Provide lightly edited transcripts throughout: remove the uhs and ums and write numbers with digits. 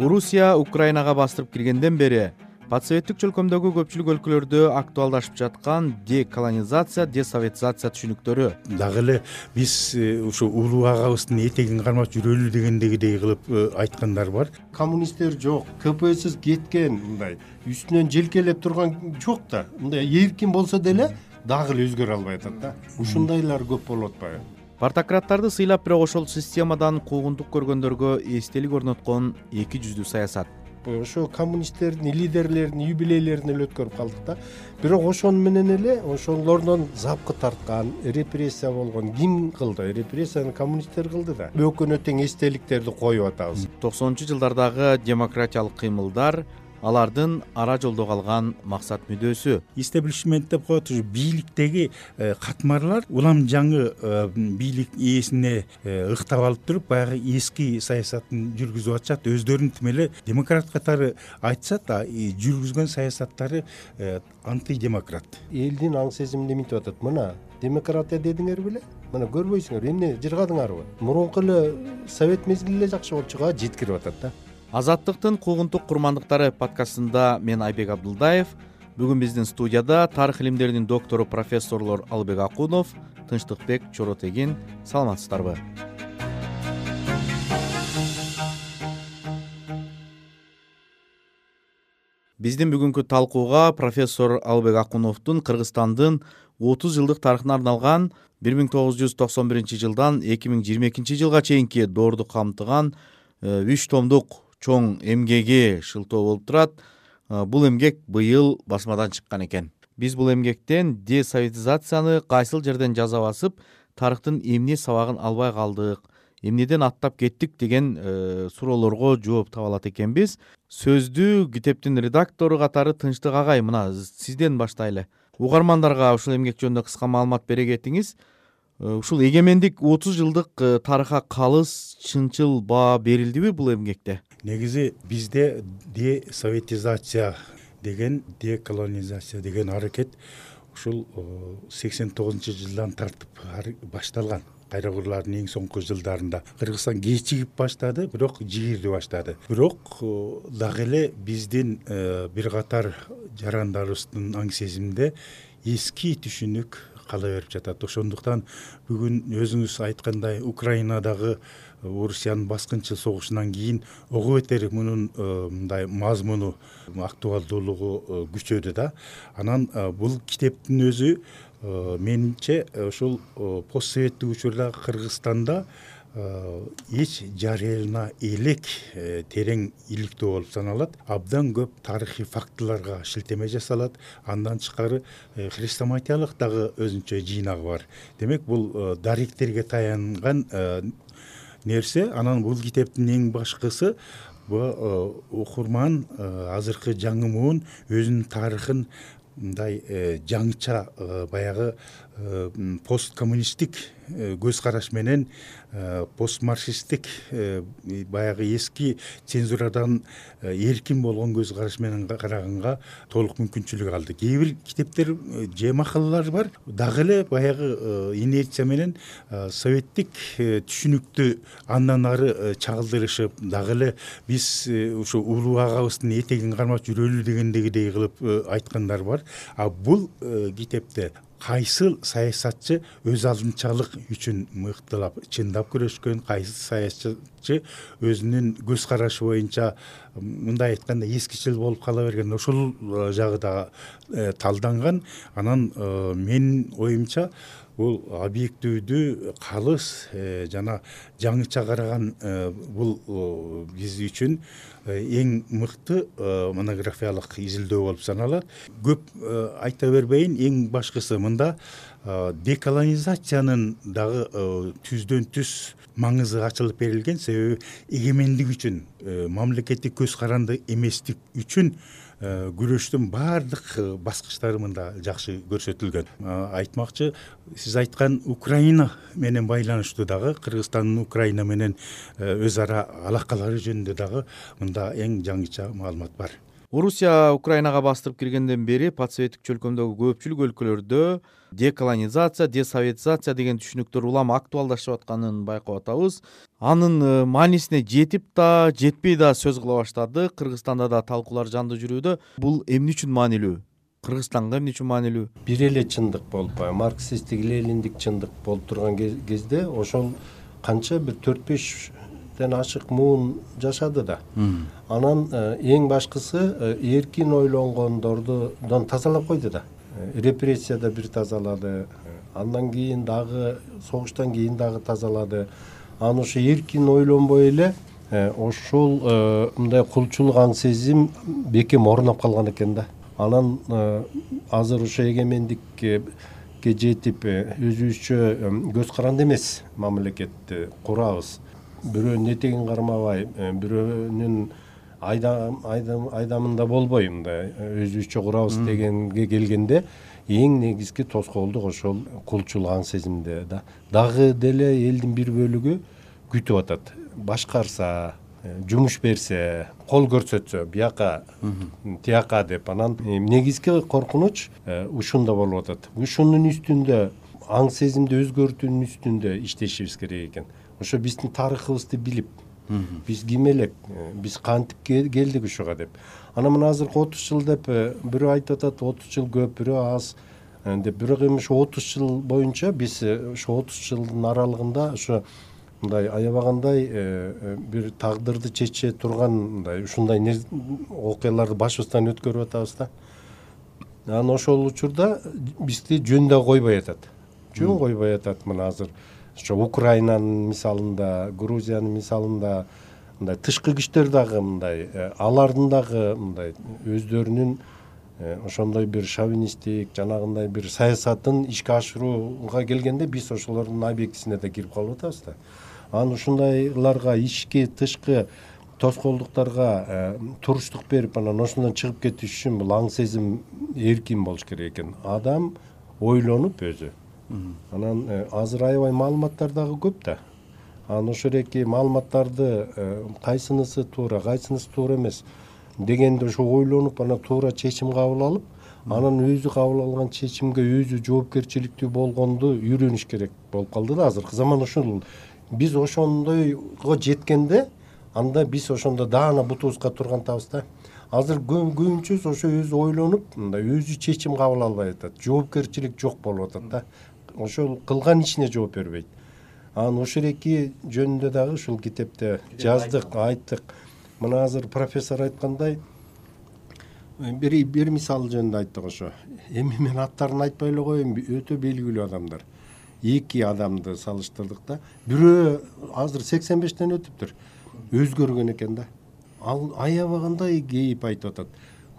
Орусия Украинага бастырып киргенден бери постсоветтик чөлкөмдөгү көпчүлүк өлкөлөрдө актуалдашып жаткан деколонизация, десоветизация түшүнүктөрү. Дагы эле биз ушу улуу агабыздын этегин кармап жүрөлү дегендегидей кылып айткандар бар. Коммунисттер жок, КПСС кеткен, мындай үстүнөн желкелеп турган жок да. Мындай эркин болсо деле дагы эле өзгөрө албай атат да. Ушундайлар көп болуп атпайбы? Партократтарды сыйлап бирок ошол системадан куугунтук көргөндөргө эстелик орноткон эки жүздүү саясат. Ошо коммунисттердин лидерлеринин юбилейлерин эле өткөрүп калдык да. Бирок ошону менен эле ошолордон запкы тарткан, репрессия болгон ким кылды? Репрессияны коммунисттер кылды да. Өкүнө тең эстеликтерди коюп атабыз. 90-жылдардагы демократиялык кыймылдар алардын ара жолдо калган максат мүдөөсү. Истеблишмент деп коет, ушу бийликтеги катмарлар улам жаңы бийлик ээсине ыктап алып туруп, баягы эски саясатын жүргүзүп атышат. Өздөрүн тим эле демократ катары айтышат, жүргүзгөн саясаттары антидемократ. Элдин аң сезимин эмитип атат. Мына демократия дедиңер беле? Мына көрбөйсүңөр, эмне жыргадыңарбы? Мурунку эле совет мезгили эле жакшы болчу го, жеткирип атат да. Азаттыктын куугунтук курмандыктары подкастында мен Айбек Абдулдаев. Бүгүн биздин студияда тарых илимдеринин доктору профессорлор Албек Акунов, Тынчтыкбек Чоротегин. Саламатсыздарбы? Биздин бүгүнкү талкууга профессор Албек Акуновдун Кыргызстандын 30 жылдык тарыхына арналган 1991 жылдан 2022 жылга чейинки доорду камтыган 3 томдук чоң эмгеги шылтоо болуп турат. Бул эмгек быйыл басмадан чыккан экен. Биз бул эмгектен десоветизацияны кайсыл жерден жаза басып, тарыхтын эмне сабагын албай калдык, эмнеден аттап кеттик деген суроолорго жооп таба алат экенбиз. Сөздү китептин редактору катары Тынчтык агай, мына сизден баштайлы. Угармандарга ушул эмгек жөнүндө кыска маалымат бере кетиңиз. Ушул эгемендик 30 жылдык тарыхка калыс, чынчыл баа берилдиби бул эмгекте? Негизи бизде десоветизация деген, деколонизация деген аракет ушул 89-жылдан тартып башталган. Кайрагырлардын эң соңку жылдарында Кыргызстан кечигип баштады, бирок жигирди баштады. Бирок дагы эле биздин бир катар жарандарыбыздын аң сезиминде эски түшүнүк кала берип жатат. Ошондуктан бүгүн өзүңүз айткандай Украинадагы Орусиянын баскынчы согушунан кийин ого бетер мунун мындай мазмуну, актуалдуулугу күчөдү да. Анан бул китептин өзү менимче ушул постсоветтик учурда Кыргызстанда эч жарыялана элек терең иликтөө болуп саналат. Абдан көп тарыхый фактыларга шилтеме жасалат. Андан тышкары хрестоматиялык дагы өзүнчө жыйнагы бар. Демек, бул даректерге таянган нерсе. Анан бул китептин эң башкысы окурман азыркы жаңы муун өзүнүн тарыхын мындай жаңыча баягы посткоммунисттик көз караш менен, постмарксисттик баягы эски цензурадан эркин болгон көз караш менен караганга толук мүмкүнчүлүк алды. Кээ бир китептер же макалалар бар, дагы эле баягы инерция менен советтик түшүнүктү андан ары чагылдырышып, дагы эле биз ушу улуу агабыздын этегин кармап жүрөлү дегендегидей кылып айткандар бар. Бул китепте кайсыл саясатчы өз алдынчалык үчүн мыктылап, чындап күрөшкөн, кайсы саясатчы өзүнүн көз карашы боюнча мындай айтканда эскичил болуп кала берген, ошол жагы да талданган. Анан менин оюмча бул объективдүү, калыс жана жаңыча караган бул биз үчүн эң мыкты монографиялык изилдөө болуп саналат. Көп айта бербейин, эң башкысы мында деколонизациянын дагы түздөн түз маңызы ачылып берилген. Себеби эгемендик үчүн, мамлекеттик көз каранды эместик үчүн күрөштүн баардык баскычтары мында жакшы көрсөтүлгөн. Айтмакчы, сиз айткан Украина менен байланыштуу дагы, Кыргызстандын Украина менен өз ара алакалары жөнүндө дагы мында эң жаңыча маалымат бар. Орусия Украинага бастырып киргенден бери постсоветтик чөлкөмдөгү көпчүлүк өлкөлөрдө деколонизация, десоветизация деген түшүнүктөр улам актуалдашып атканын байкап атабыз. Анын маанисине жетип да, жетпей да сөз кыла баштады. Кыргызстанда да талкуулар жандуу жүрүүдө. Бул эмне үчүн маанилүү? Кыргызстанга эмне үчүн маанилүү? Бир эле чындык болуп, марксисттик, лениндик чындык болуп турган кезде ошол канча бир 4-5 ашык муун жашады да. Анан эң башкысы эркин ойлонгондордон тазалап койду да. Репрессияда бир тазалады, андан кийин дагы согуштан кийин дагы тазалады. Анан ошо эркин ойлонбой эле ошол мындай кулчулук аң сезим бекем орноп калган экен да. Анан азыр ошо эгемендикке жетип өзүбүзчө көз каранды эмес мамлекетти курабыз. Бирөөнүн этегин кармабай, бирөөнүн айдамында болбой мындай өзүбүзчө курабыз дегенге келгенде эң негизги тоскоолдук ошол кулчулук аң сезимде да. Дагы деле элдин бир бөлүгү күтүп атат. Башкарса, жумуш берсе, кол көрсөтсө, бияка, тияка деп. Анан негизги коркунуч ушунда болуп атат. Ушунун үстүндө, аң сезимди өзгөртүүнүн үстүндө иштешибиз керек экен. Ошо биздин тарыхыбызды билип, биз ким элек, биз кантип келдик ушуга деп. Анан мына азыркы 30 жыл деп бирөө айтып атат, 30 жыл көп, бирөө аз деп. Бирок эми ошо 30 жыл боюнча биз ошо 30 жылдын аралыгында ошо мындай аябагандай бир тагдырды чече турган мындай ушундай окуяларды башыбыздан өткөрүп атабыз да. Анан ошол учурда бизди жөн да койбой атат. Жөн койбой атат. Мына азыр ошо Украинанын мисалында, Грузиянын мисалында мындай тышкы күчтөр дагы мындай алардын дагы мындай өздөрүнүн ошондой бир шовинисттик жанагындай бир саясатын ишке ашырууга келгенде биз ошолордун объектисине да кирип калып атабыз да. Анан ушундайларга ички тышкы тоскоолдуктарга туруштук берип анан ошондон чыгып кетиш үчүн бул аң сезим эркин болуш керек экен. Адам ойлонуп өзү. Анан азыр аябай маалыматтар дагы көп да. Анан ошол эки маалыматтарды кайсынысы туура, кайсынысы туура эмес дегенде ошо ойлонуп анан туура чечим кабыл алып, анан өзү кабыл алган чечимге өзү жоопкерчиликтүү болгонду үйрөнүш керек болуп калды да азыркы заман. Ошол биз ошондойго жеткенде анда биз ошондо даана бутубузга тургантабыз да. Азыр көбүнчөсү ошо өзү ойлонуп, мындай өзү чечим кабыл албай атат. Жоопкерчилик жок болуп атат да. Ошол кылган ишине жооп бербейт. Анан ошол эки жөнүндө дагы ушул китепте жаздык, айттык. Мына азыр профессор айткандай бир мисал жөнүндө айттык ошо. Эми мен аттарын айтпай эле коеюн, өтө белгилүү адамдар. Эки адамды салыштырдык да. Бирөө азыр 85тен өтүптүр. Өзгөргөн экен да. Ал аябагандай кейип айтып атат.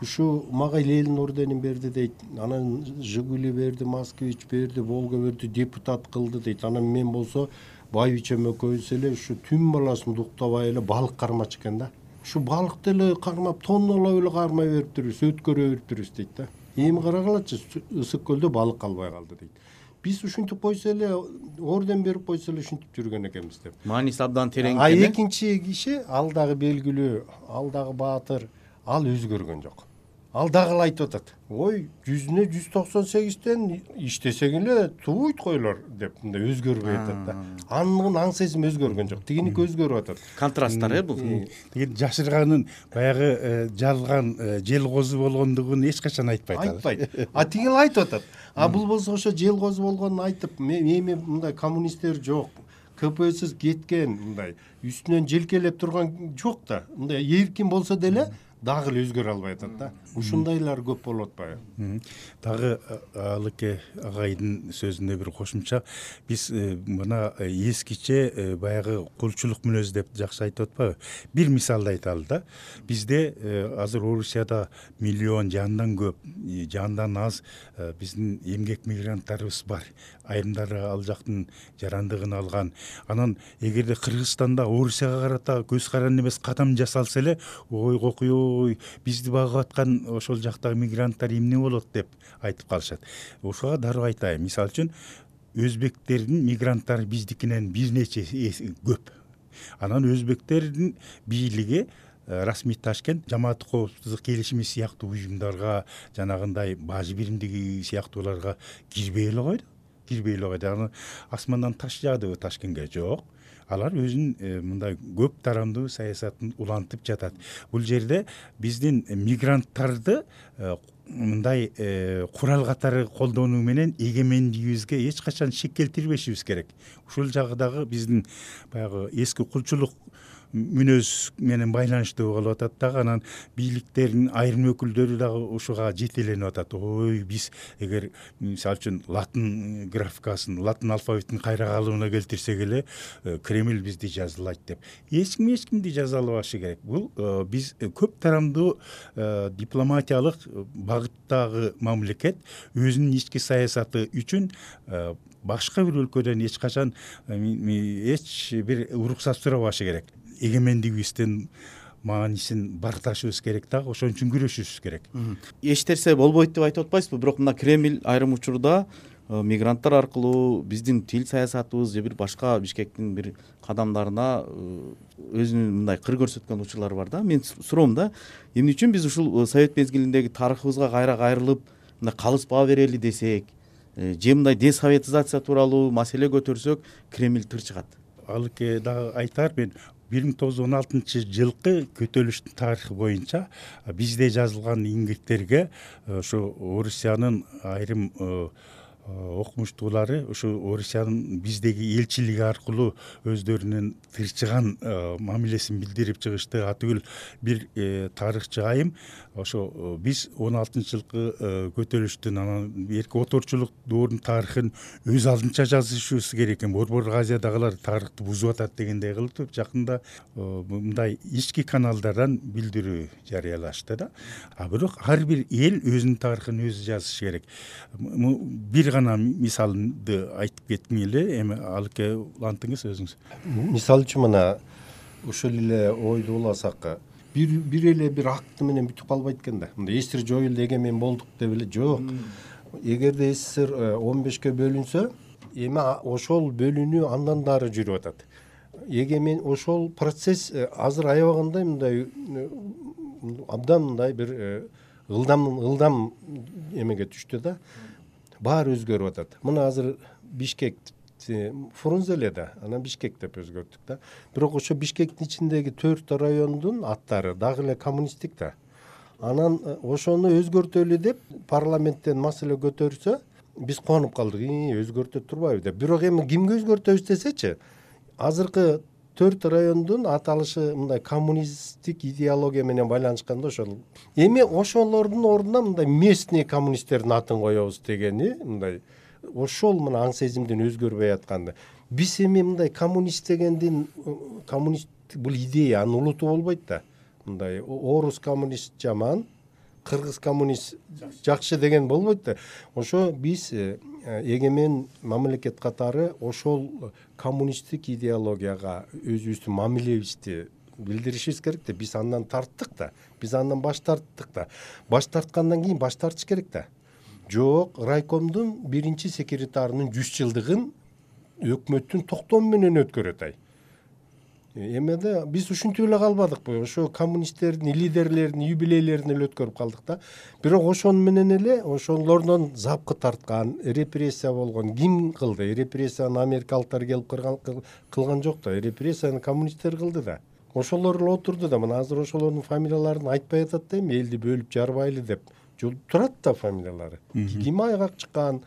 Ушу мага Ленин орденин берди дейт. Анан Жигули берди, Москвич берди, Волга берди, депутат кылды дейт. Анан мен болсо байбичем экөөбүз эле ушу түн баласын дуктабай эле балык кармачу экен да. Ушу балыкты эле кармап, тоннолоп эле кармай бериптирбиз, өткөрө бериптирбиз дейт да. Эми карагалачы, ысык көлдө балык калбай калды дейт. Биз ушинтип койсо эле, орден берип койсо эле ушинтип жүргөн экенбиз деп. Мааниси абдан терең экен. Экинчи киши, ал дагы белгилүү, ал дагы баатыр, ал өзгөргөн жок. Ал дагы айтып атат. Ой, 100-не 198тен иштесең эле туйт койлор деп мындай өзгөрбөй атат да. Анын аң сезим өзгөргөн жок. Тигиники өзгөрүп атат. Контрасттар бул. Тиги жашырганын баягы жалган жел козу болгондугун эч качан айтпайт. Айтпайт. Тигил айтып атат. Бул болсо ошо жел козу болгонун айтып, эми мындай коммунисттер жок. КПСС кеткен мындай үстүнөн желкелеп турган жок да. Мындай эркин болсо деле дагы эле өзгөрө албай атат да. Ушундайлар көп болуп атпайбы? Дагы Алыке агайдын сөзүнө бир кошумча, биз мына эскиче баягы кулчулук мүнөз деп жакшы айтып атпайбы? Бир мисалды айталы да. Бизде азыр Орусияда миллион жандан көп, жандан аз биздин эмгек мигранттарыбыз бар. Айрымдары ал жактын жарандыгын алган. Анан эгерде Кыргызстанда Орусияга карата көз каранды эмес кадам жасалса эле, ой кокуй, бизди багып аткан ошол жактагы мигранттар эмне болот деп айтып калышат. Ошого дароо айтайын. Мисалы үчүн өзбектердин мигранттары биздикинен бир нече көп. Анан өзбектердин бийлиги расмий Ташкент жамааттык коопсуздук келишими сыяктуу уюмдарга, жанагындай бажы биримдиги сыяктууларга кирбей эле койду. Аны асмандан таш жаадыбы Ташкентке? Жок. Алар өзүнүн мындай көп тарамдуу саясатын улантып жатат. Бул жерде биздин мигранттарды мындай курал катары колдонуу менен эгемендигибизге эч качан шек келтирбешибиз керек. Ушул жагы дагы биздин баягы эски кулчулук мүнөз менен байланыштуу болуп атат дагы. Анан бийликтердин айрым өкүлдөрү дагы ушуга жетеленип атат. Ой, биз эгер мисалы үчүн латын графикасын, латын алфавитин кайра калыбына келтирсек эле Кремль бизди жазалайт деп. Эч кимди жазалабашы керек. Бул биз көп тарамдуу дипломатиялык багыттагы мамлекет өзүнүн ички саясаты үчүн башка бир өлкөдөн эч качан эч бир уруксат сурабашы керек. Эгемендигибиздин маанисин барташыбыз керек дагы, ошон үчүн күрөшүшүбүз керек. Эч нерсе болбойт деп айтып атпайсызбы? Бирок мына Кремль айрым учурда мигранттар аркылуу биздин тил саясатыбыз же бир башка Бишкектин бир кадамдарына өзүнүн мындай кыр көрсөткөн учурлары бар да. Мен суроом да, эмне үчүн биз ушул совет мезгилиндеги тарыхыбызга кайра кайрылып мындай калыспа берели десек, же мындай десоветизация тууралуу маселе көтөрсөк, Кремль тыр чыгат. Алыке дагы айтар, мен 1916-жылкы көтөрүлүштүн тарыхы боюнча бизде жазылган иңгирттерге ошо Орусиянын айрым окумуштуулары ушу Орусиянын биздеги элчилиги аркылуу өздөрүнүн тырчыган мамилесин билдирип чыгышты. Атүгүл бир тарыхчы айым ошо биз 16-жылкы көтөрүлүштүн анан эрки оторчулук доорунун тарыхын өз алдынча жазышыбыз керек экен. Борбордук Азиядагылар тарыхты бузуп атат дегендей кылып жакында мындай ички каналдардан билдирүү жарыялашты да. Бирок ар бир эл өзүнүн тарыхын өзү жазышы керек. Бир гана мисалды айтып кетким эле, эми Алыке улантыңыз өзүңүз. Мисалы үчүн мына ушул эле ойду уласак, бир эле бир акты менен бүтүп калбайт экен да. Мындай СССР жоюлду, эгемен болдук деп эле жок. Эгерде СССР 15ке бөлүнсө, эми ошол бөлүнүү андан дары жүрүп атат. Эгемен ошол процесс азыр аябагандай мындай абдан мындай бир ылдам эмеге түштү да. Баары өзгөрүп атат. Мына азыр Бишкек Фрунзе эле да, анан Бишкек деп өзгөрттүк да. Бирок ошо Бишкектин ичиндеги 4 райондун аттары дагы эле коммунисттик да. Анан ошону өзгөртөлү деп парламенттен маселе көтөрсө, биз куанып калдык. Өзгөртө турбайбы деп. Бирок эми кимге өзгөртөбүз десечи, азыркы 4 райондун аталышы мындай коммунисттик идеология менен байланышканда ошол. Эми ошолордун ордуна мындай местный коммунисттердин атын коебуз дегени мындай ошол мына аң сезимдин өзгөрбөй атканды. Биз эми мындай коммунист дегендин коммунист бул идея, анын улуту болбойт да. Мындай орус коммунист жаман, кыргыз коммунист жакшы деген болбойт да. Ошо биз эгемен мамлекет катары ошол коммунисттик идеологияга өзүбүздүн мамилебизди билдиришибиз керек да. Биз андан тарттык да. Биз андан баш тарттык да. Баш тарткандан кийин баш тартыш керек да. Жок, райкомдун биринчи секретарынын 100 жылдыгын өкмөттүн токтому менен өткөрөт ай. Эмеде биз ушинтип эле калбадыкпы? Ошо коммунисттердин лидерлеринин юбилейлерин эле өткөрүп калдык да. Бирок ошон менен эле ошолордон запкы тарткан, репрессия болгон ким кылды? Репрессияны америкалыктар келип кылган жок да. Репрессияны коммунисттер кылды да. Ошолор эле отурду да. Мына азыр ошолордун фамилияларын айтпай атат да эми, элди бөлүп жарбайлы деп. Турат да фамилиялары. Ким айгак чыккан,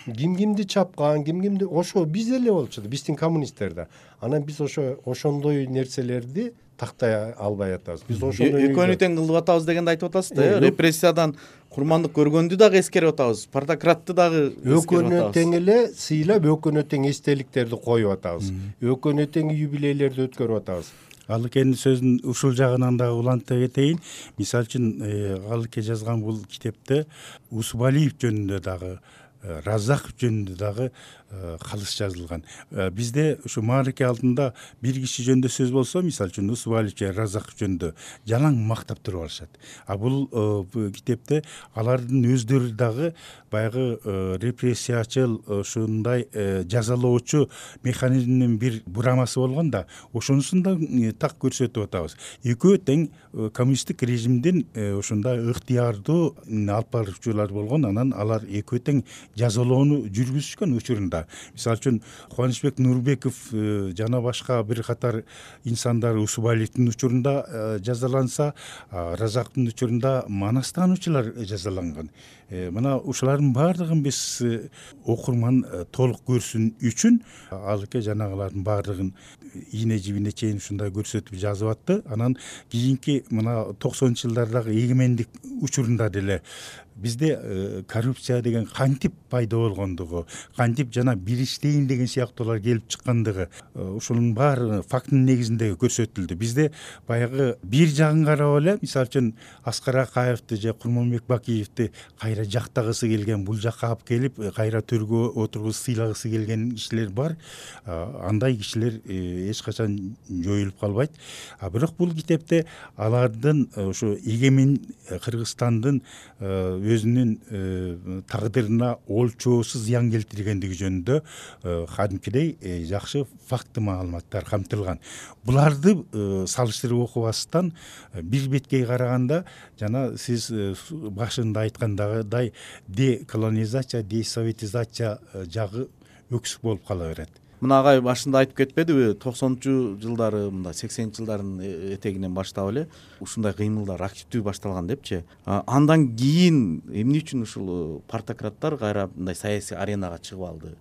кимди чапкан, кимди ошо биз эле болчу да, биздин коммунисттер да. Анан биз ошондой нерселерди тактай албай атабыз. Биз ошондой экөөнү тең кылып атабыз дегенди айтып атасыз да. Репрессиядан курмандык көргөндү дагы эскерип атабыз. Спартакратты дагы экөөнү тең эле сыйлап, экөөнү тең эстеликтерди коюп атабыз. Экөөнү тең юбилейлерди өткөрүп атабыз. Алыкенин сөзүн ушул жагынан дагы уланта кетейин. Мисалы үчүн Алыке жазган бул китепте Усубалиев жөнүндө дагы Разак жөнүндө дагы калыс жазылган. Бизде ушу маареке алдында бир киши жөнүндө сөз болсо, мисалы үчүн Усубалиев же Разак жөнүндө жалаң мактап туруп алышат. А бул китепте алардын өздөрү дагы баягы репрессиячыл, ушундай жазалоочу механизмдин бир бурамасы болгон да, ошонусун да так көрсөтүп атабыз. Экөө тең коммунисттик режимдин ушундай ыктыярдуу алып баруучулар болгон, анан алар экөө тең жазалоону жүргүзүшкөн учурунда. Мисалы үчүн Кубанычбек Нурбеков жана башка бир катар инсандар Усубалиевдин учурунда жазаланса, Разактын учурунда манастануучулар жазаланган. Мына ушулардын баардыгын биз окурман толук көрсүн үчүн алыке жанагылардын баардыгын ийне жибине чейин ушундай көрсөтүп жазып атты. Анан кийинки мына 90-жылдардагы эгемендик учурунда деле бизде коррупция деген кантип пайда болгондугу, кантип жана бириштейин деген сыяктуулар келип чыккандыгы, ушунун баары фактынын негизинде көрсөтүлдү. Бизде баягы бир жагын карап эле, мисалы үчүн Аскар Акаевди же Курманбек Бакиевди кайра жактагысы келген, бул жакка алып келип кайра төргө отургузуп сыйлагысы келген кишилер бар. Андай кишилер эч качан жоюлуп калбайт. Бирок бул китепте алардын ушу эгемен Кыргызстандын өзүнүн тагдырына олчоосуз зыян келтиргендиги жөнүндө кадимкидей жакшы факты маалыматтар камтылган. Буларды салыштырып окубастан бир беткей караганда, жана сиз башында айткандагыдай деколонизация, десоветизация жагы өксүк болуп кала берет. Мына агай башында айтып кетпедиби, 90-жылдары, мындай 80-жылдардын этегинен баштап эле ушундай кыймылдар активдүү башталган депчи. Андан кийин эмне үчүн ушул партократтар кайра мындай саясий аренага чыгып алды?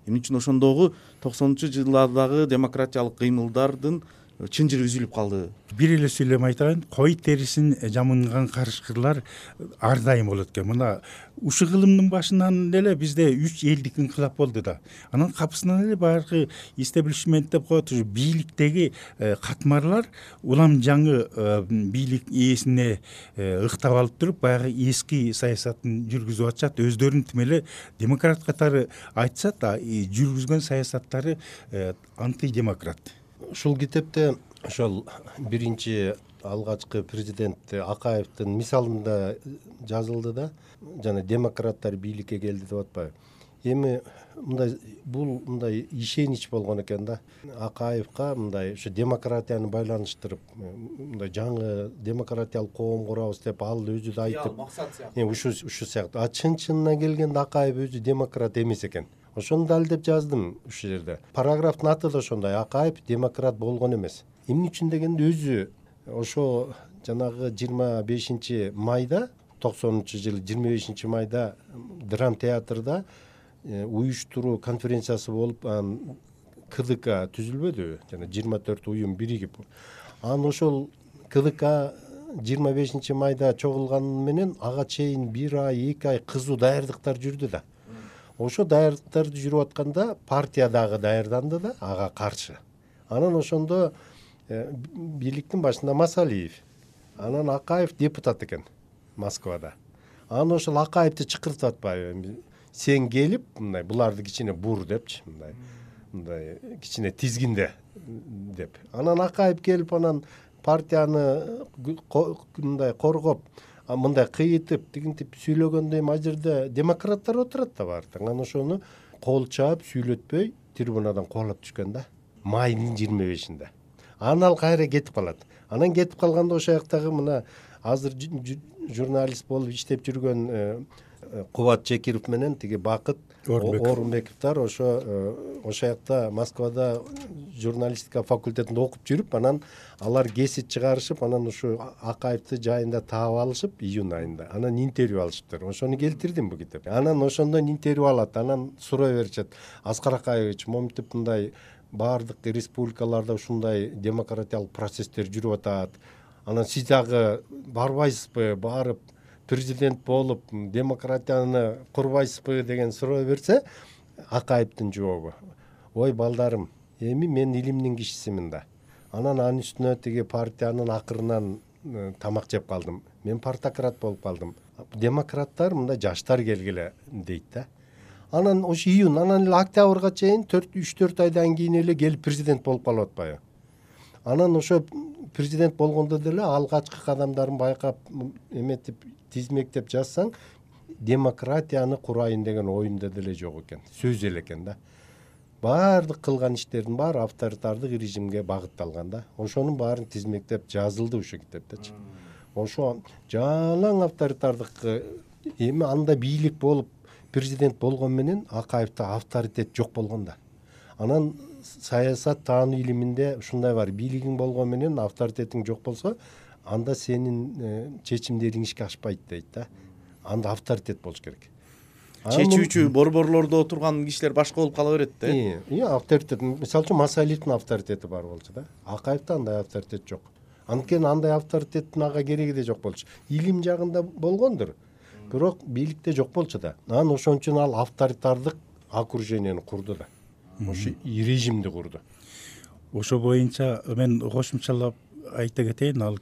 Эмне үчүн ошондогу 90-жылдардагы демократиялык кыймылдардын чынжыры үзүлүп калды? Бир эле сүйлөм айтайын. Кой терисин жамынган карышкырлар ар дайым болот экен. Мына ушу кылымдын башынан эле бизде 3 элдик инкылап болду да. Анан капысынан эле баягы истеблишмент деп коет, ушу бийликтеги катмарлар улам жаңы бийлик ээсине ыктап алып туруп, баягы эски саясатын жүргүзүп атышат. Өздөрүн тим эле демократ катары айтышат, жүргүзгөн саясаттары антидемократ. Ушул китепте ошол биринчи алгачкы президент Акаевдин мисалында жазылды да, жана демократтар бийликке келди деп атпайбы. Эми мындай бул мындай ишенич болгон экен да. Акаевга мындай ушу демократияны байланыштырып, мындай жаңы демократиялык коом курабыз деп ал өзү да айтып, ушу сыяктуу. Чын-чынына келгенде Акаев өзү демократ эмес экен. Ошону далилдеп жаздым ушул жерде. Параграфтын аты да ошондой: Акаев демократ болгон эмес. Эмне үчүн дегенде өзү ошо жанагы 25 майда 90-жылы 25 майда драм театрда уюштуруу конференциясы болуп, КДК түзүлбөдүбү? Жана 24 уюм биригип. Анан ошол КДК 25 майда чогулганы менен ага чейин 1 ай, 2 ай кызуу даярдыктар жүрдү да. Ошо даярдыктарды жүрүп атканда партия дагы даярданды да ага каршы. Анан ошондо бийликтин башында Масалиев, анан Акаев депутат экен Москвада. Анан ошол Акаевди чакыртып атпайбы? Сен келип, мындай буларды кичине бур депчи, мындай кичине тизгинде деп. Анан Акаев келип, анан партияны мындай коргоп, мындай кыйытып, тигинтип сүйлөгөндө эми ал жерде демократтар отурат да баардык. Анан ошону кол чаап, сүйлөтпөй трибунадан кубалап түшкөн да. Майдын 25-inde. Анан ал кайра кетип калат. Анан кетип калганда ошол жактагы мына азыр журналист болуп иштеп жүргөн Кубат Чекиров менен тиги Бакыт Орунбековдор ошо жакта Москвада журналистика факультетинде окуп жүрүп, анан алар кесип чыгарышып, анан ушу Акаевди жайында таап алышып июнь айында. Анан интервью алышыптыр. Ошону келтирдим бу китепте. Анан ошондон интервью алат, анан суроо беришет: Аскар Акаевич, моминтип мындай баардык республикаларда ушундай демократиялык процесстер жүрүп атат. Анан сиз дагы барбайсызбы, барып президент болуп демократияны курбайсызбы деген суроо берсе, Акаевдин жообу: ой балдарым, эми мен илимдин кишисимин да. Анан анын үстүнө тиги партиянын акырынан тамак жеп калдым. Мен партократ болуп калдым. Демократтар мындай жаштар келгиле дейт да. Анан ошо июнь, анан эле октябрга чейин 3-4 айдан кийин эле келип президент болуп калып атпайбы. Анан ошо президент болгондо деле алгачкы кадамдарын байкап эметип тизмектеп жазсаң, демократияны курайын деген оюнда деле жок экен, сөз эле экен да. Баардык кылган иштердин баары авторитардык режимге багытталган да. Ошонун баарын тизмектеп жазылды ушул китептечи. Ошо жалаң авторитардык эми анда бийлик болуп президент болгон менен Акаевде авторитет жок болгон да. Анан саясат таануу илиминде ушундай бар, бийлигиң болгон менен авторитетиң жок болсо, анда сенин чечимдериң ишке ашпайт дейт да. Анда авторитет болуш керек. Чечүүчү борборлордо отурган кишилер башка болуп кала берет да. Авторитет, мисалы үчүн Масалиевдин авторитети бар болчу да. Акаевде андай авторитет жок. Анткени андай авторитеттин ага кереги да жок болчу. Илим жагында болгондур, бирок бийликте жок болчу да. Анан ошон үчүн ал авторитардык окружениени курду да. Ошо режимди курду. Ошо боюнча мен кошумчалап айта кетейин, ал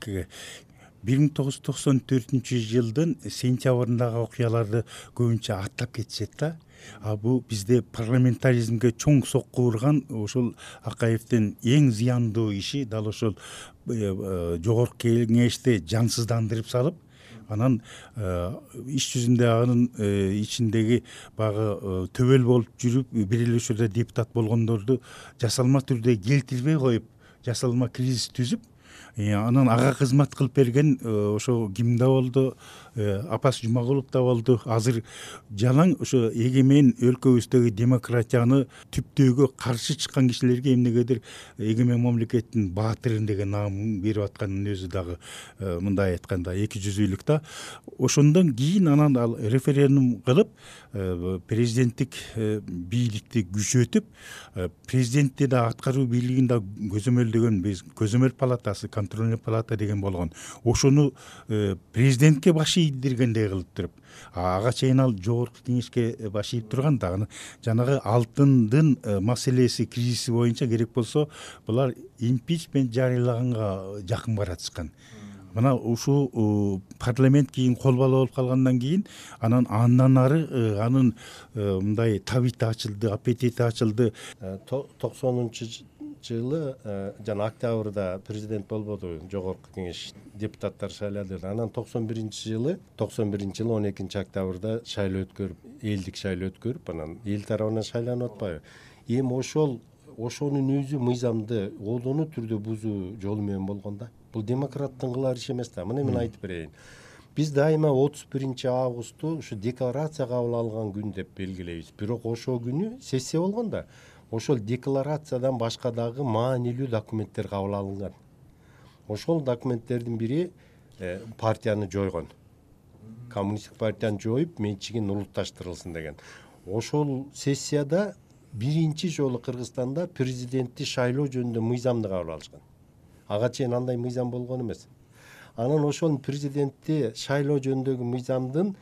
1994-жылдын сентябрындагы окуяларды көбүнчө аттап кетишет да. Бул бизде парламентаризмге чоң сокку урган ошол Акаевдин эң зыяндуу иши дал ошол жогорку кеңешти жансыздандырып салып, анан иш жүзүндө анын ичиндеги баягы төбөл болуп жүрүп бир эле учурда депутат болгондорду жасалма түрдө келтирбей коюп, жасалма кризис түзүп, анан ага кызмат кылып берген ошо ким да болду, Апас Жумагулов да болду. Азыр жалаң ошо эгемен өлкөбүздөгү демократияны түптөөгө каршы чыккан кишилерге эмнегедир эгемен мамлекеттин баатыры деген наамын берип атканын өзү дагы мындай айтканда эки жүзүлүк да. Ошондон кийин анан ал референдум кылып президенттик бийликти күчөтүп, президентти да аткаруу бийлигин да көзөмөлдөгөн биз көзөмөл палатасы, контрольный палата деген болгон. Ошону президентке баш ийдиргендей кылып туруп, ага чейин ал жогорку кеңешке баш ийип турган да. Жанагы алтындын маселеси, кризиси боюнча керек болсо булар импичмент жарыялаганга жакын баратышкан. Мына ушул парламент кийин кол бала болуп калгандан кийин анан андан ары анын мындай табити ачылды, аппетити ачылды. 90-жылы жана октябрда президент болбоду, жогорку кеңеш депутаттар шайлады. Анан 91-жылы 12 октябрда шайлоо өткөрүп, элдик шайлоо өткөрүп, анан эл тарабынан шайланып атпайбы. Эми ошонун өзү мыйзамды олдону түрдө бузуу жолу менен болгон да. Бул демократтын кылар иши эмес да. Мына мен айтып берейин. Биз дайыма 31 августу ушу декларация кабыл алган күн деп белгилейбиз. Бирок ошол күнү сессия болгон да. Ошол декларациядан башка дагы маанилүү документтер кабыл алынган. Ошол документтердин бири партияны жойгон. Коммунисттик партияны жоюп, менчигин улутташтырылсын деген. Ошол сессияда биринчи жолу Кыргызстанда президентти шайлоо жөнүндө мыйзамды кабыл алышкан. Ага чейин андай мыйзам болгон эмес. Анан ошол президентти шайлоо жөнүндөгү мыйзамдын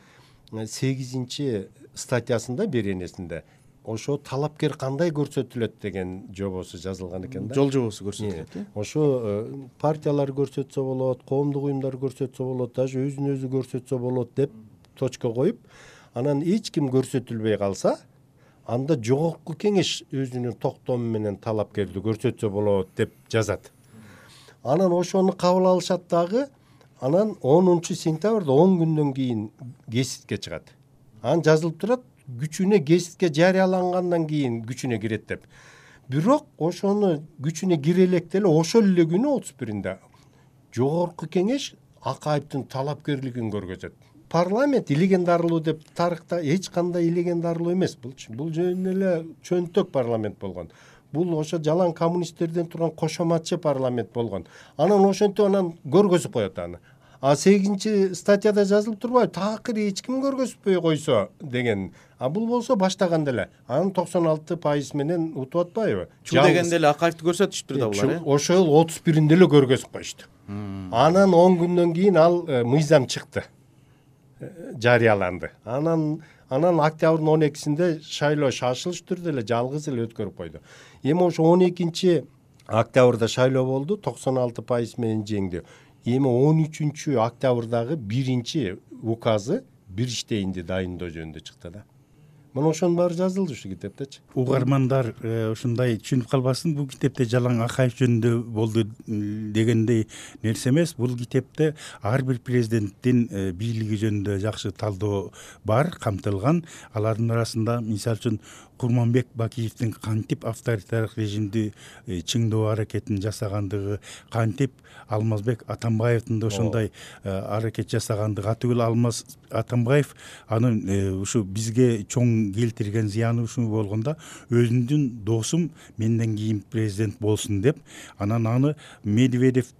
8 статьясында, беренесинде ошо талапкер кандай көрсөтүлөт деген жобосу жазылган экен да. Жол жобосу көрсөтүлөт. Ошо партиялар көрсөтсө болот, коомдук уюмдар көрсөтсө болот, даже өзүн өзү көрсөтсө болот деп точка коюп, анан эч ким көрсөтүлбөй калса, анда жогорку кеңеш өзүнүн токтому менен талапкерди көрсөтсө болот деп жазат. Анан ошону кабыл алышат дагы, анан 10 сентябрда 10 күндөн кийин гезитке чыгат. Анан жазылып турат, күчүнө гезитке жарыялангандан кийин күчүнө кирет деп. Бирок ошону күчүнө кире электе эле ошол эле күнү 31-нде жогорку кеңеш Акаевдин талапкерлигин көргөзөт. Парламент илегендарлуу деп тарыхта эч кандай илегендарлуу эмес булчу. Бул жөн эле чөнтөк парламент болгон. Бул ошо жалаң коммунисттерден турган кошоматчы парламент болгон. Анан ошентип анан көргөзүп коет аны. 8 статьяда жазылып турбайбы? Такыр эч ким көргөзбөй койсо деген. Бул болсо баштаганда эле. Анан 96% менен утуп атпайбы? Чу дегенде эле Акаевди көрсөтүштүр да булар. Ошол 31-нде эле көргөзүп коюшту. Анан 10 күндөн кийин ал мыйзам чыкты. Жарыяланды. Анан октябрдын 12-синде шайлоо шашылыш түрдө эле жалгыз эле өткөрүп койду. Эми ошо 12 октябрда шайлоо болду, 96% менен жеңди. Эми 13 октябрдагы биринчи указы бир иштейинди дайындоо жөнүндө чыкты да. мына ошонун баары жазылды ушу китептечи. Угармандар ушундай түшүнүп калбасын, бул китепте жалаң Акаев жөнүндө болду дегендей нерсе эмес. Бул китепте ар бир президенттин бийлиги жөнүндө жакшы талдоо бар, камтылган. Алардын арасында мисалы үчүн Курманбек Бакиевдин кантип авторитардык режимди чыңдоо аракетин жасагандыгы, кантип Алмазбек Атамбаевдин да ошондой аракет жасагандыгы, атүгүл Алмаз Атамбаев анын ушу бизге чоң келтирген зыяны ушул болгондо, өзүмдүн досум менден кийин президент болсун деп, анан аны Медведев,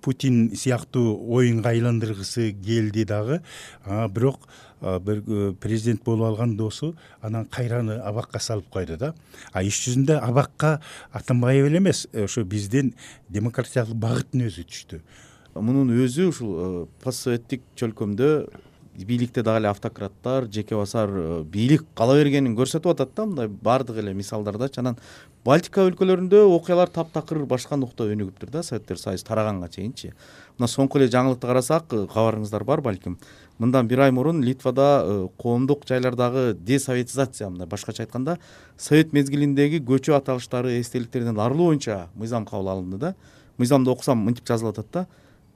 Путин сыяктуу оюнга айландыргысы келди дагы, бирок бир президент болуп алган досу анан кайраны абакка салып койду да. Иш жүзүндө абакка Атамбаев эле эмес, ошо биздин демократиялык багыттын өзү түштү. Мунун өзү ушул постсоветтик чөлкөмдө бийликте дагы эле автократтар, жеке басар бийлик кала бергенин көрсөтүп атат да, мындай баардык эле мисалдардачы. Анан Балтика өлкөлөрүндө окуялар таптакыр башка нукта өнүгүптүр да, Советтер Союзу тараганга чейинчи. Мына соңку эле жаңылыкты карасак, кабарыңыздар бар балким. Мындан бир ай мурун Литвада коомдук жайлардагы десоветизация, мындай башкача айтканда, совет мезгилиндеги көчө аталыштары, эстеликтерден арылуу боюнча мыйзам кабыл алынды да. Мыйзамды окусам мынтип жазылып атат да: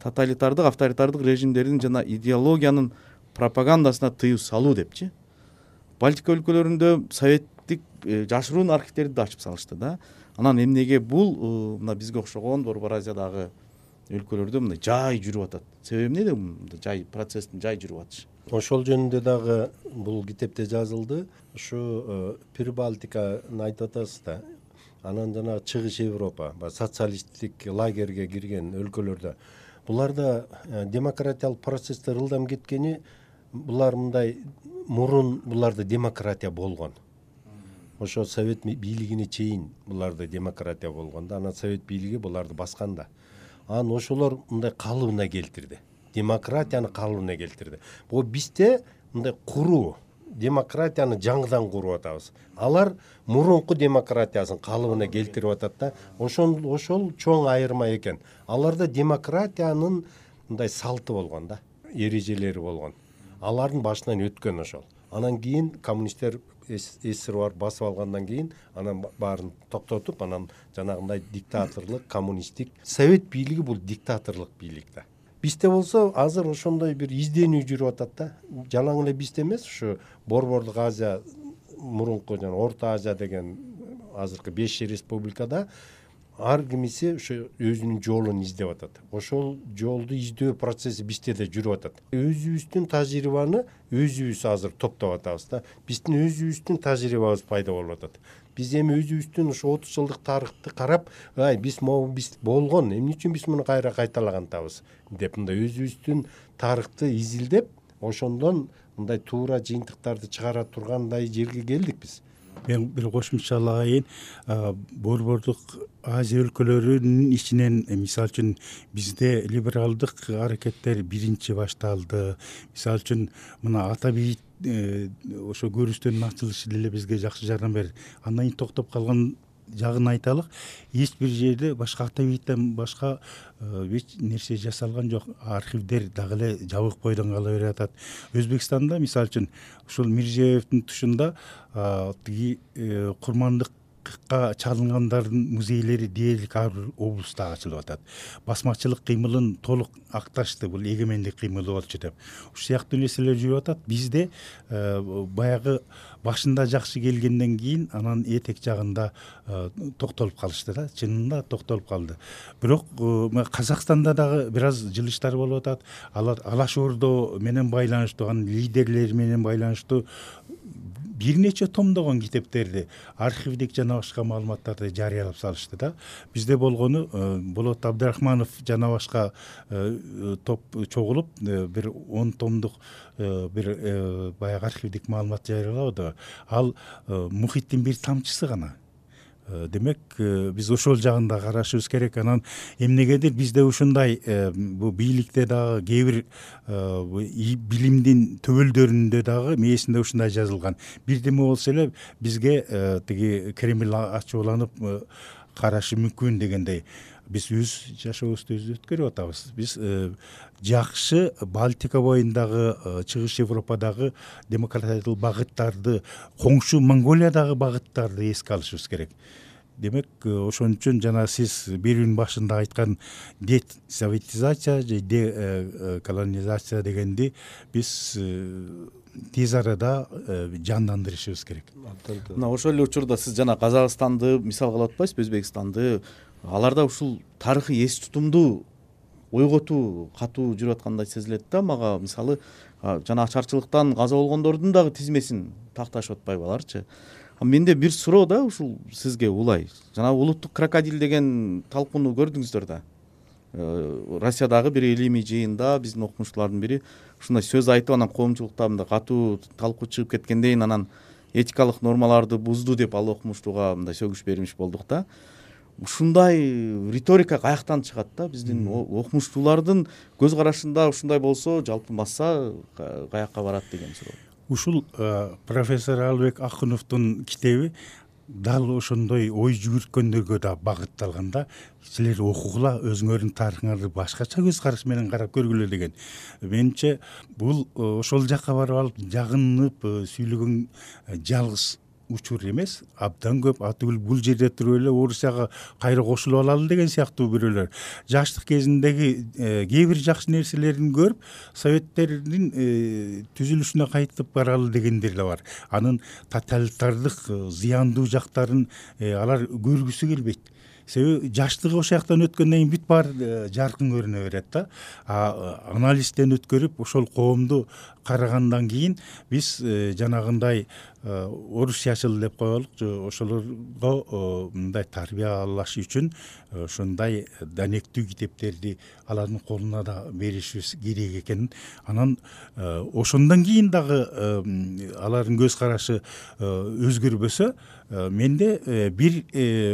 тоталитардык, авторитардык режимдердин жана идеологиянын пропагандасына тыюу салуу депчи. Балтика өлкөлөрүндө советтик жашыруун архивдерди да ачып салышты да. Анан эмнеге бул мына бизге окшогон Борбор Азиядагы өлкөлөрдө мындай жай жүрүп атат? Себеби эмнеде мындай жай процесстин жай жүрүп атышы? Ошол жөнүндө дагы бул китепте жазылды. Ушу Прибалтиканы айтып атасыз да. Анан жана Чыгыш Европа, социалисттик лагерге кирген өлкөлөрдө буларда демократиялык процесстер ылдам кеткени, булар мындай мурун буларда демократия болгон. Ошо совет бийлигине чейин буларда демократия болгон да, анан совет бийлиги буларды басканда. Анан ошолор мындай калыбына келтирди. Демократияны калыбына келтирди. Бул бизде мындай куруу, демократияны жаңыдан куруп атабыз. Алар мурунку демократиясын калыбына келтирип атат да. Ошол чоң айырма экен. Аларда демократиянын мындай салты болгон да, эрежелери болгон. Алардын башынан өткөн ошол. Анан кийин коммунисттер СССР басып алгандан кийин анан баарын токтотуп, анан жанагындай диктаторлук, коммунисттик, совет бийлиги бул диктаторлук бийлик да. Бизде болсо азыр ошондой бир изденүү жүрүп атат да. Жалаң эле бизде эмес, ушу Борбордук Азия, мурунку жана Орто Азия деген азыркы 5 республикада ар кимиси ошо өзүнүн жолун издеп атат. Ошол жолду издөө процесси бизде да жүрүп атат. Өзүбүздүн тажрыйбаны өзүбүз азыр топтоп атабыз да. Биздин өзүбүздүн тажрыйбабыз пайда болуп атат. Биз эми өзүбүздүн ошо 30 жылдык тарыхты карап, биз болгон, эмне үчүн биз муну кайра кайталагантабыз деп мындай өзүбүздүн тарыхты изилдеп, ошондон мындай туура жыйынтыктарды чыгара тургандай жерге келдик биз. Мен бир кошумчалагайын, Борбордук Азия өлкөлөрүнүн ичинен мисалы үчүн бизде либералдык аракеттер биринчи башталды. Мисалы үчүн мына ата бейит ошо көрүстөнүн ачылышы деле бизге жакшы жардам берди. Андан кийин токтоп калган жагын айталык. Эч бир жерде башка ата бейиттен башка эч нерсе жасалган жок. Архивдер дагы эле жабык бойдон кала берип атат. Өзбекстанда мисалы үчүн ушул Мирзиёевдин тушунда тиги курмандыкка чалынгандардын музейлери дээрлик ар бир облуста ачылып атат. Басмачылык кыймылын толук акташты, бул эгемендик кыймылы болчу деп. Ушул сыяктуу нерселер жүрүп атат. Бизде баягы башында жакшы келгенден кийин анан этек жагында токтолуп калышты да, чынында токтолуп калды. Бирок Казакстанда дагы бир аз жылыштар болуп атат. Алар Алаш Ордо менен байланыштуу, анын лидерлери менен байланыштуу бир нече томдогон китептерди, архивдик жана башка маалыматтарды жарыялап салышты да. Бизде болгону Болот Абдрахманов жана башка топ чогулуп бир 10 томдук бир баягы архивдик маалымат жарыялады. Ал мухиттин бир тамчысы гана. Демек, биз ошол жагында карашыбыз керек. Анан эмнегедир бизде ушундай бу бийликте дагы кээ бир билимдин төбөлдөрүндө дагы мээсинде ушундай жазылган. Бирдеме болсо эле бизге тиги Кремль ачууланып карашы мүмкүн дегендей. Биз өз жашообузду өзү өткөрүп атабыз. Биз жакшы Балтика боюндагы, Чыгыш Европадагы демократиялык багыттарды, коңшу Монголиядагы багыттарды эске алышыбыз керек. Демек, ошон үчүн жана сиз берүүнүн башында айткан десоветизация же деколонизация дегенди биз тез арада жандандырышыбыз керек. Мына ошол эле учурда сиз жана Казакстанды мисал кылып атпайсызбы, Өзбекстанды? Аларда ушул тарыхый эс тутумду ойготуу катуу жүрүп аткандай сезилет да мага. Мисалы, жана ачарчылыктан каза болгондордун дагы тизмесин такташып атпайбы аларчы? Менде бир суроо да ушул сизге улай. Жана улуттук крокодил деген талкууну көрдүңүздөр да. Россиядагы бир илимий жыйында биздин окумуштуулардын бири ушундай сөз айтып, анан коомчулукта мындай катуу талкуу чыгып кеткенден анан этикалык нормаларды бузду деп ал окумуштууга мындай сөгүш бермиш болдук да. Ушундай риторика каяктан чыгат да? Биздин окумуштуулардын көз карашында ушундай болсо, жалпы масса каякка барат деген суроо. Ушул профессор Албек Акуновдун китеби дал ошондой ой жүгүрткөндөргө да багытталган да. Силер окугула, өзүңөрдүн тарыхыңарды башкача көз караш менен карап көргүлө деген. Менимче бул ошол жакка барып алып жагынып сүйлөгөн жалгыз учур эмес, абдан көп. Атүгүл бул жерде туруп эле Орусияга кайра кошулуп алалы деген сыяктуу бирөөлөр. Жаштык кезиндеги кээ бир жакшы нерселерин көрүп, Советтердин түзүлүшүнө кайтып баралы дегендер да бар. Анын тоталитардык зыяндуу жактарын алар көргүсү келбейт. Себеби жаштыгы ошол жактан өткөндөн кийин бүт баары жаркын көрүнө берет да. Анализден өткөрүп ошол коомду карагандан кийин биз жанагындай орусчачыл деп коелукчу, ошолорго мындай тарбиялаш үчүн ошондой данектүү китептерди алардын колуна да беришибиз керек экенин, анан ошондон кийин дагы алардын көз карашы өзгөрбөсө, менде бир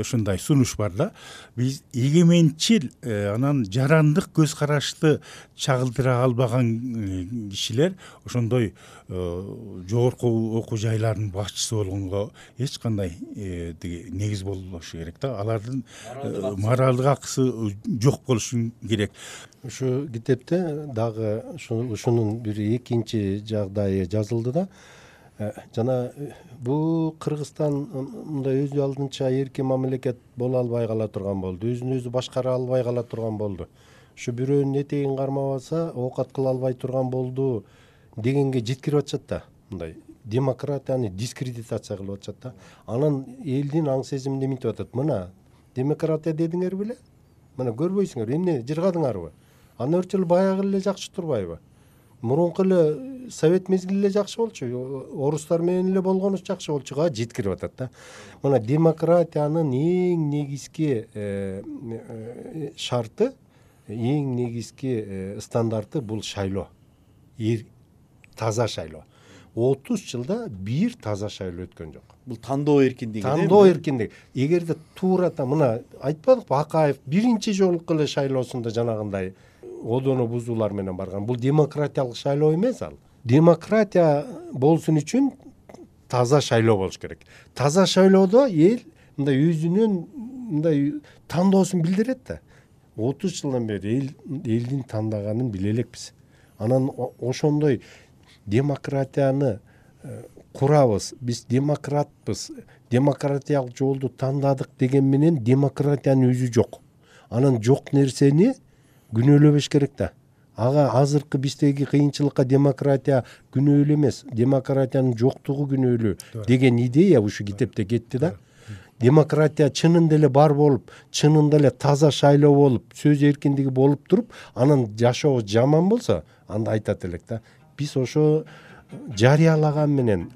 ушундай сунуш бар да. Биз эгеменчил, анан жарандык көз карашты чагылдыра албаган кишилер ошондой жогорку окуу жайлардын башчысы болгонго эч кандай негиз болбошу керек да. Алардын моралдык акысы жок болушу керек. Ушу китепте дагы ушунун бир экинчи жагдайы жазылды да. Жана бул Кыргызстан мындай өзү алдынча эркин мамлекет боло албай кала турган болду. Өзүн өзү башкара албай кала турган болду. Ушу бирөөнүн этегин кармабаса, оокат кыла албай турган болду дегенге жеткирип атышат да. Мындай демократияны дискредитация кылып атышат да. Анан элдин аң сезиминде минтип атат. Мына демократия дедиңер беле? Мына көрбөйсүңөр, эмне жыргадыңарбы? Аны өрчүл баягы эле жакшы турбайбы? Мурунку эле совет мезгили эле жакшы болчу, орустар менен эле болгонубуз жакшы болчуга жеткирип атат да. Мына демократиянын эң негизги шарты, эң негизги стандарты бул шайлоо. Таза шайлоо. 30 жылда бир таза шайлоо өткөн жок. Бул тандоо эркиндиги. Тандоо эркиндиги. Эгерде туурата мына айтпадыкпы, Акаев биринчи жолку эле шайлоосунда жанагындай одону бузуулар менен барган. Бул демократиялык шайлоо эмес ал. Демократия болсун үчүн таза шайлоо болуш керек. Таза шайлоодо эл мындай өзүнүн мындай тандоосун билдирет да. 30 жылдан бери элдин тандаганын биле элекпиз. Анан ошондой демократияны курабыз. Биз демократпыз. Демократиялык жолду тандадык деген менен демократиянын өзү жок. Анан жок нерсени күнөөлөбөш керек да. Ага азыркы биздеги кыйынчылыкка демократия күнөөлүү эмес, демократиянын жоктугу күнөөлүү деген идея ушу китепте кетти да. Демократия чынында эле бар болуп, чынында эле таза шайлоо болуп, сөз эркиндиги болуп туруп, анан жашоо жаман болсо, анда айтат элек да. Биз ошо жарыялаган менен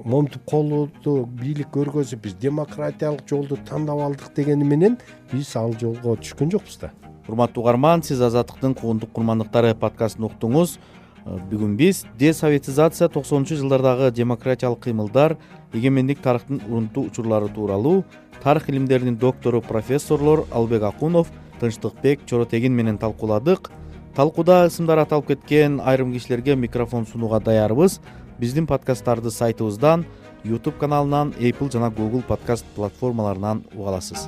момтуп колду бийлик көргөзүп, биз демократиялык жолду тандап алдык дегени менен биз ал жолго түшкөн жокпуз да. Урматтуу угарман, сиз Азаттыктын куугунтук курмандыктары подкастын уктуңуз. Бүгүн биз десоветизация 90-жылдардагы демократиялык кыймылдар, эгемендик тарыхтын урунтуу учурлары тууралуу тарых илимдеринин доктору профессорлор Албек Акунов, Тынчтыкбек Чоротегин менен талкууладык. Талкууда ысымдар аталып кеткен айрым кишилерге микрофон сунууга даярбыз. Биздин подкасттарды сайтыбыздан, YouTube каналынан, Apple жана Google подкаст платформаларынан уга аласыз.